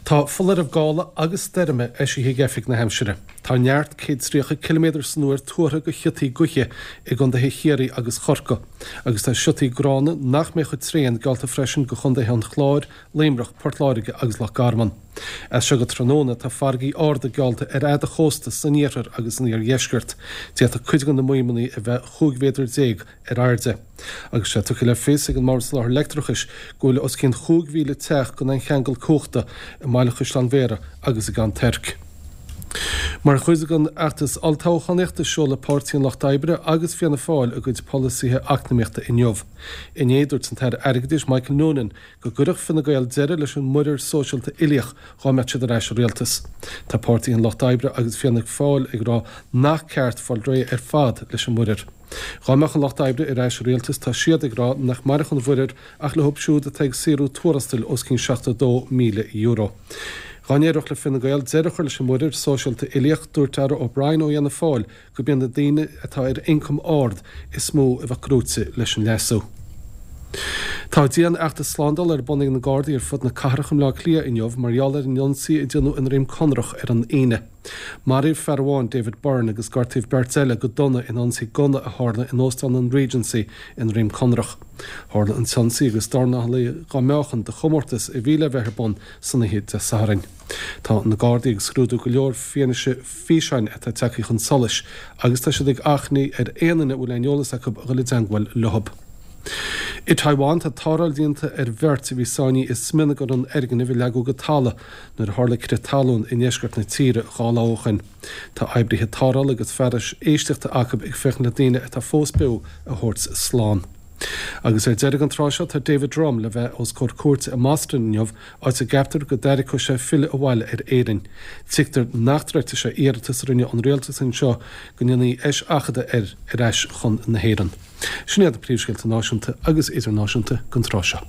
Tá foláireamh gála agus stoirme eisithe ag Oifig na hAimsire. Tá neart 130 ciliméadar san uair tuartha do shiotaí gaoithe i gcontaetha Chiarraí agus Chorcaí agus tá siotaí gránna nach mbeidh chomh tréan geallta freisin do chontaetha an Chláir, Luimneach, Port Láirge agus Loch Garman. As seo go tráthnóna tá farraigí arda geallta ar fhad an chósta san iarthar agus san iardheisceart. D'fhéadfadh cuid de na maidhmeanna a bheith 15 mhéadar ar airde. Agus tá sé tugtha le fios ag an mBord Soláthair Leictreachais go bhfuil os cionn 5,000 teach gan aon cheangal cumhachta i mBaile Chaisleáin Bhéarra agus i gCeann Toirc. Mar chuid den fheachtas olltoghchánaíochta seolfaidh Páirtí an Lucht Oibre agus Fianna Fáil a gcuid polasaithe eacnamaíochta inniu. Inné dúirt an tAire Airgeadais Michael Noonan go gcuirfeadh Fine Gael deireadh leis an muirear sóisialta uilíoch dhá mbeadh siad ar ais i rialtas. Tá Páirtí an Lucht Oibre agus Fianna Fáil ag rá nach ceart fáil réidh ar fad leis an muirear. Dhá mbeadh an Lucht Oibre ar ais i rialtas tá siad ag rá nach mairfeadh an mhuirear ach leo siúd atá ag saothrú tuarastail os cionn €72,000. Dhá n-éireodh le Fine Gael deireadh a chur leis an muirear sóisialta uilíoch, dúirt Darragh O'Brien ó Fhianna Fáil gurb iad na daoine atá ar ioncam ard is mó a bheadh gnóite leis an leasú. Tá dian-fheachtas slándála ar bun ag na Gardaí ar fud na cathrach i mBleá Cliath inniu mar gheall ar an ionsaí a déanadh i nDroim Conrach ar an Aoine. Maraíodh fear amháin, David Byrne, agus gortaíodh beirt eile go dona in ionsaí gunna a tharla in Óstán an Regency i nDroim Conrach. Tharla an t-ionsaí agus dornálaithe dhá meáchan do chomórtas a bhí le bheith ar bun san oíche Dé Sathairn. Tá na Gardaí ag scrúdú go leor fianaise físeáin atá tagtha chun solais agus tá siad ag achainí ar aon duine a bhfuil aon eolas acu a dhul i dteangmháil leo. I Taiwan tá tarrtháil déanta ar bheirt a bhí sáinnithe i smionagar an fhoirgnimh a leagadh go talamh nuair a tharla crith talún i ndeisceart na tíre 2 lá ó shin. Tá oibrithe tarrthála agus fearais éisteachta acu ag féachaint le daoine atá fós beo a thabhairt slán. Agus ar deireadh an tráth seo tá David Drumm le bheith os comhair cúirte i mBoston inniu, áit a gceaptar go dtairgfeadh sé filleadh abhaile ar Éirinn. Tuigtear nach dtroidfidh sé iarratas a rinne an rialtas anseo go ndéanfaí eiseachadadh air ar ais chun na hÉireann. Sin iad na príomhscéalta náisiúnta agus idirnáisiúnta don tráth seo.